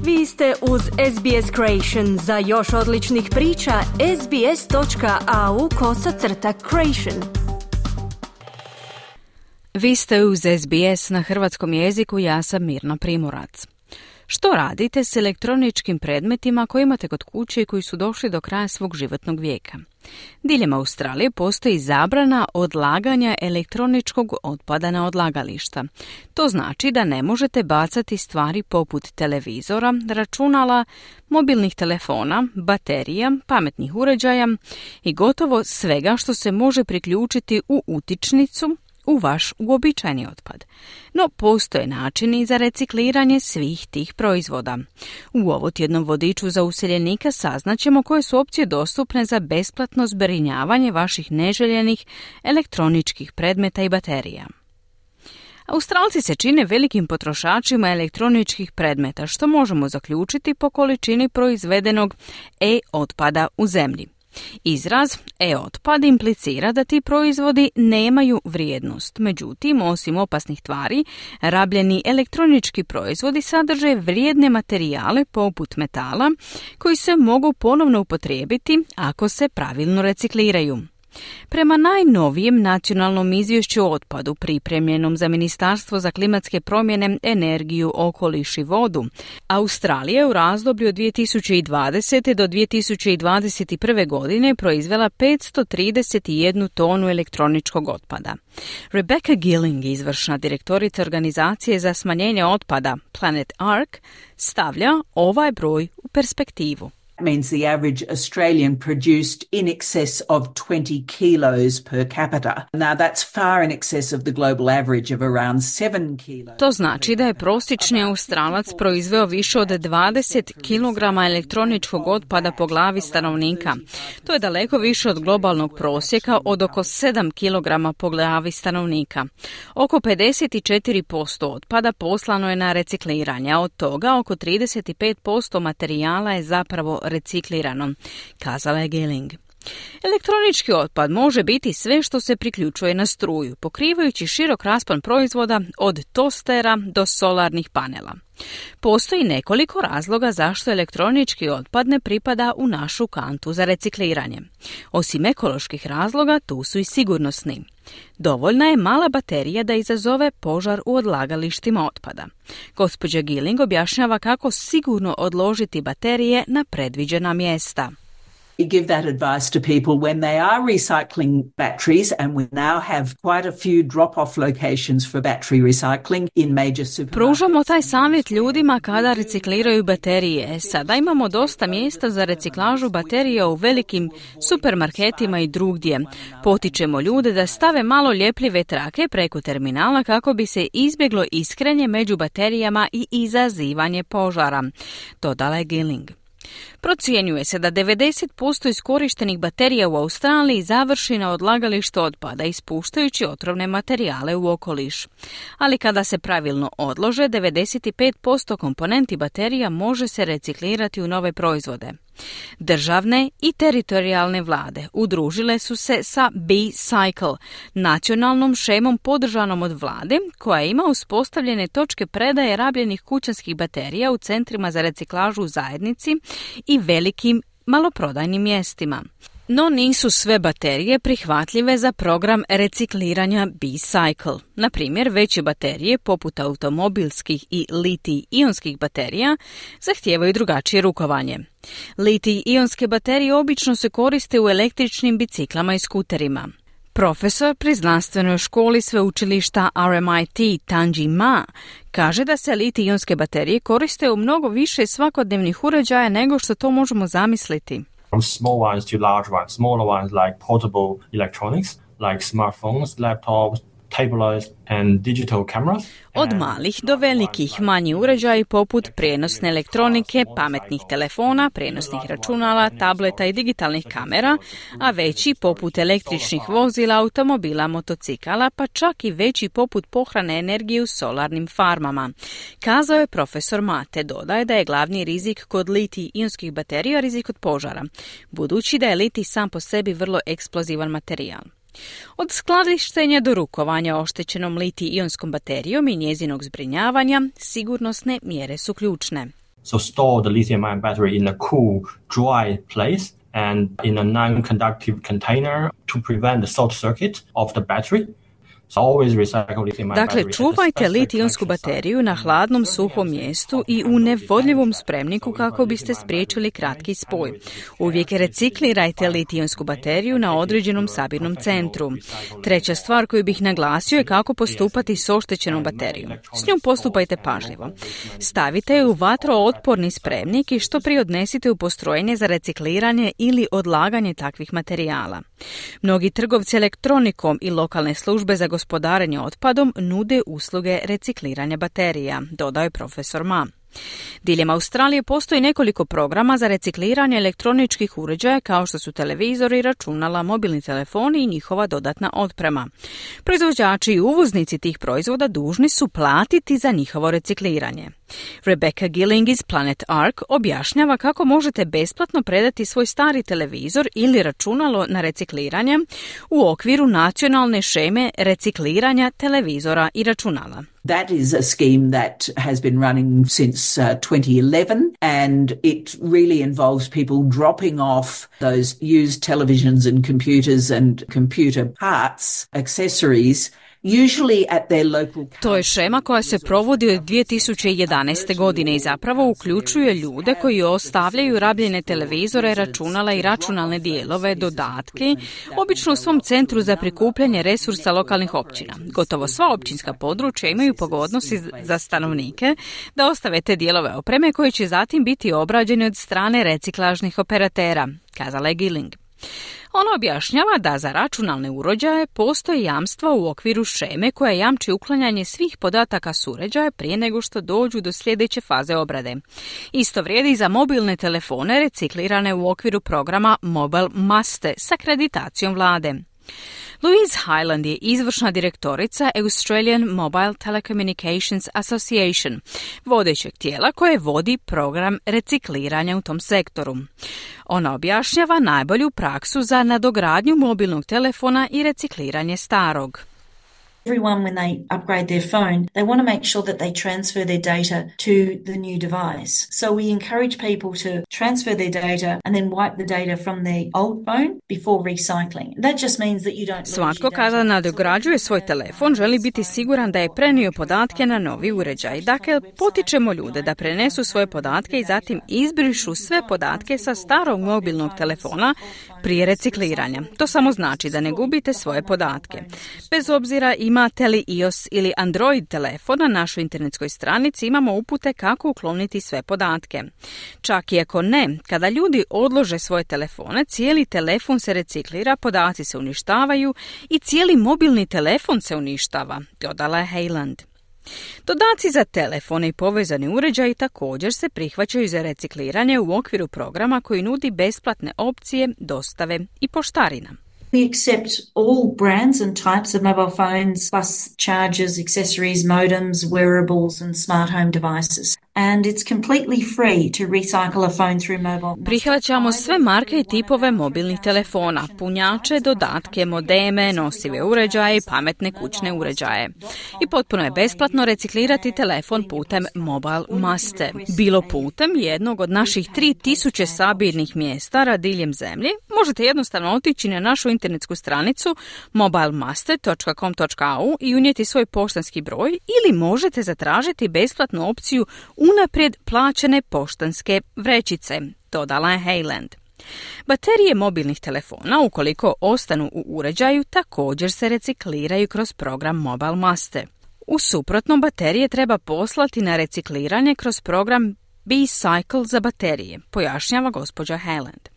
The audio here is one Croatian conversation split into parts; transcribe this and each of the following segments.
Vi ste uz SBS Creation. Za još odličnih priča, sbs.au/creation. Vi ste uz SBS na hrvatskom jeziku, ja sam Mirna Primorac. Što radite s elektroničkim predmetima koje imate kod kuće i koji su došli do kraja svog životnog vijeka? Diljem Australije postoji zabrana odlaganja elektroničkog otpada na odlagališta. To znači da ne možete bacati stvari poput televizora, računala, mobilnih telefona, baterija, pametnih uređaja i gotovo svega što se može priključiti u utičnicu u vaš uobičajeni otpad. No, postoje načini za recikliranje svih tih proizvoda. U ovotjednom vodiču za useljenika saznaćemo koje su opcije dostupne za besplatno zbrinjavanje vaših neželjenih elektroničkih predmeta i baterija. Australci se čine velikim potrošačima elektroničkih predmeta, što možemo zaključiti po količini proizvedenog e-otpada u zemlji. Izraz e-otpad implicira da ti proizvodi nemaju vrijednost. Međutim, osim opasnih tvari, rabljeni elektronički proizvodi sadrže vrijedne materijale poput metala koji se mogu ponovno upotrijebiti ako se pravilno recikliraju. Prema najnovijem nacionalnom izvješću o otpadu pripremljenom za Ministarstvo za klimatske promjene, energiju, okoliš i vodu, Australija u razdoblju od 2020. do 2021. godine proizvela 531 tonu elektroničkog otpada. Rebecca Gilling, izvršna direktorica organizacije za smanjenje otpada Planet Ark, stavlja ovaj broj u perspektivu. Means the average Australian produced in excess of 20 kilos per capita. Now that's far in excess of the global average of around 7 kilos. To znači da je prosječni Australac proizveo više od 20 kilograma elektroničkog otpada po glavi stanovnika. To je daleko više od globalnog prosjeka od oko 7 kilograma po glavi stanovnika. Oko 54% otpada poslano je na recikliranje, a od toga oko 35% materijala je zapravo reciklirano, kazala je Gilling. Elektronički otpad može biti sve što se priključuje na struju, pokrivajući širok raspon proizvoda od tostera do solarnih panela. Postoji nekoliko razloga zašto elektronički otpad ne pripada u našu kantu za recikliranje. Osim ekoloških razloga, tu su i sigurnosni. Dovoljna je mala baterija da izazove požar u odlagalištima otpada. Gospođa Gilling objašnjava kako sigurno odložiti baterije na predviđena mjesta. We give that advice to people when they are recycling batteries, and we now have quite a few drop-off locations for battery recycling in major supermarkets. Pružamo taj savjet ljudima kada recikliraju baterije. Sada imamo dosta mjesta za reciklažu baterija u velikim supermarketima i drugdje. Potičemo ljude da stave malo ljepljive trake preko terminala kako bi se izbjeglo iskrenje među baterijama i izazivanje požara, dodala je Gilling. Procjenjuje se da 90% iskorištenih baterija u Australiji završi na odlagalištu otpada, ispuštajući otrovne materijale u okoliš. Ali kada se pravilno odlože, 95% komponenti baterija može se reciklirati u nove proizvode. Državne i teritorijalne vlade udružile su se sa B-Cycle, nacionalnom šemom podržanom od vlade, koja ima uspostavljene točke predaje rabljenih kućanskih baterija u centrima za reciklažu u zajednici i velikim maloprodajnim mjestima. No nisu sve baterije prihvatljive za program recikliranja B-Cycle. Na primjer, veće baterije, poput automobilskih i litij-ionskih baterija, zahtijevaju drugačije rukovanje. Litij-ionske baterije obično se koriste u električnim biciklama i skuterima. Profesor pri znanstvenoj školi sveučilišta RMIT Tanji Ma kaže da se litij-ionske baterije koriste u mnogo više svakodnevnih uređaja nego što to možemo zamisliti. From small ones to large ones, smaller ones like portable electronics, like smartphones, laptops, tablets and digital cameras. Od malih do velikih manji uređaji poput prijenosne elektronike, pametnih telefona, prijenosnih računala, tableta i digitalnih kamera, a veći poput električnih vozila, automobila, motocikala, pa čak i veći poput pohrane energije u solarnim farmama. Kazao je profesor Mate, dodaje da je glavni rizik kod litij-ionskih baterija rizik od požara, budući da je litij sam po sebi vrlo eksplozivan materijal. Od skladištenja do rukovanja oštećenom litij-ionskom baterijom i njezinog zbrinjavanja, sigurnosne mjere su ključne. So store the lithium-ion battery in a cool, dry place and in a non-conductive container to prevent the short circuit of the battery. Dakle, čuvajte litijonsku bateriju na hladnom, suhom mjestu i u nevodljivom spremniku kako biste spriječili kratki spoj. Uvijek reciklirajte litijonsku bateriju na određenom sabirnom centru. Treća stvar koju bih naglasio je kako postupati s oštećenom baterijom. S njom postupajte pažljivo. Stavite je u vatrootporni spremnik i što prije odnesite u postrojenje za recikliranje ili odlaganje takvih materijala. Mnogi trgovci elektronikom i lokalne službe za gospodarenje otpadom nude usluge recikliranja baterija, dodao je profesor Ma. Diljem Australije postoji nekoliko programa za recikliranje elektroničkih uređaja kao što su televizori, računala, mobilni telefoni i njihova dodatna otprema. Proizvođači i uvoznici tih proizvoda dužni su platiti za njihovo recikliranje. Rebecca Gilling iz Planet Arc objašnjava kako možete besplatno predati svoj stari televizor ili računalo na recikliranje u okviru nacionalne šeme recikliranja televizora i računala. That is a scheme that has been running since 2011 and it really involves people dropping off those used televisions and computers and computer parts, accessories, usually at their local. To je šema koja se provodi od 2011. godine i zapravo uključuje ljude koji ostavljaju rabljene televizore, računala i računalne dijelove, dodatke, obično u svom centru za prikupljanje resursa lokalnih općina. Gotovo sva općinska područja imaju pogodnosti za stanovnike da ostave te dijelove opreme koje će zatim biti obrađene od strane reciklažnih operatera, kazala je Gilling. Ona objašnjava da za računalne uređaje postoji jamstva u okviru šeme koja jamči uklanjanje svih podataka s uređaja prije nego što dođu do sljedeće faze obrade. Isto vrijedi za mobilne telefone reciklirane u okviru programa Mobile Maste s akreditacijom vlade. Louise Hyland je izvršna direktorica Australian Mobile Telecommunications Association, vodećeg tijela koje vodi program recikliranja u tom sektoru. Ona objašnjava najbolju praksu za nadogradnju mobilnog telefona i recikliranje starog. Everyone, when they upgrade their phone, they want to make sure that they transfer their data to the new device. So we encourage people to transfer their data and then wipe the data from their old phone before recycling. That just means that you don't lose your data. Svatko kada nadograđuje svoj telefon želi biti siguran da je prenio podatke na novi uređaj. Dakle, potičemo ljude da prenesu svoje podatke i zatim izbrišu sve podatke sa starog mobilnog telefona prije recikliranja. To samo znači da ne gubite svoje podatke. Bez obzira imate li iOS ili Android telefon, na našoj internetskoj stranici imamo upute kako ukloniti sve podatke. Čak i ako ne, kada ljudi odlože svoje telefone, cijeli telefon se reciklira, podaci se uništavaju i cijeli mobilni telefon se uništava, dodala je Hayland. Dodaci za telefone i povezani uređaji također se prihvaćaju za recikliranje u okviru programa koji nudi besplatne opcije, dostave i poštarina. We accept all brands and types of mobile phones, plus chargers, accessories, modems, wearables and smart home devices. And it's completely free to recycle a phone through mobile. Prihvaćamo sve marke i tipove mobilnih telefona, punjače, dodatke, modeme, nosive uređaje i pametne kućne uređaje. I potpuno je besplatno reciklirati telefon putem Mobile Maste. Bilo putem jednog od naših 3000 sabirnih mjesta diljem zemlje, možete jednostavno otići na našu internetsku stranicu mobilemaste.com.au i unijeti svoj poštanski broj ili možete zatražiti besplatnu opciju unaprijed plaćene poštanske vrećice, dodala je Hayland. Baterije mobilnih telefona, ukoliko ostanu u uređaju, također se recikliraju kroz program Mobile Maste. U suprotnom, baterije treba poslati na recikliranje kroz program B-Cycle za baterije, pojašnjava gospođa Hayland.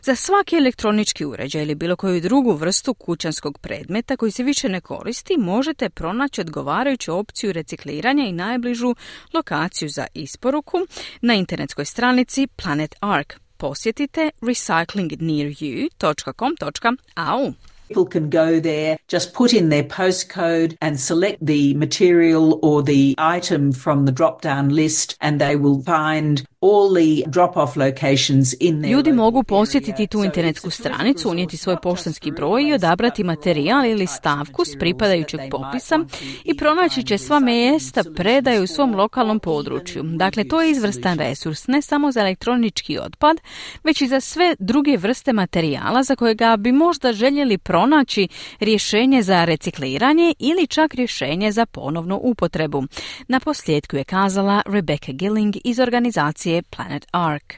Za svaki elektronički uređaj ili bilo koju drugu vrstu kućanskog predmeta koji se više ne koristi, možete pronaći odgovarajuću opciju recikliranja i najbližu lokaciju za isporuku na internetskoj stranici Planet Arc. Posjetite recyclingnearyou.com.au. People can go there, just put in their postcode and select the material or the item from the drop-down list and they will find all the drop-off locations in their Ljudi local mogu area. posjetiti tu So internetsku it's a stranicu, resource unijeti svoj not just poštanski for broj i odabrati materijal ili stavku s pripadajućeg popisa i pronaći će sva mjesta predaje u svom lokalnom području. Dakle, to je izvrstan resurs ne samo za elektronički otpad, već i za sve druge vrste materijala za kojega bi možda željeli pronaći rješenje za recikliranje ili čak rješenje za ponovnu upotrebu. Na posljedku je kazala Rebecca Gilling iz organizacije Planet Ark.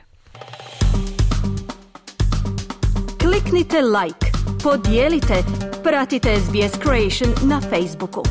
Kliknite like, podijelite, pratite SBS Creation na Facebooku.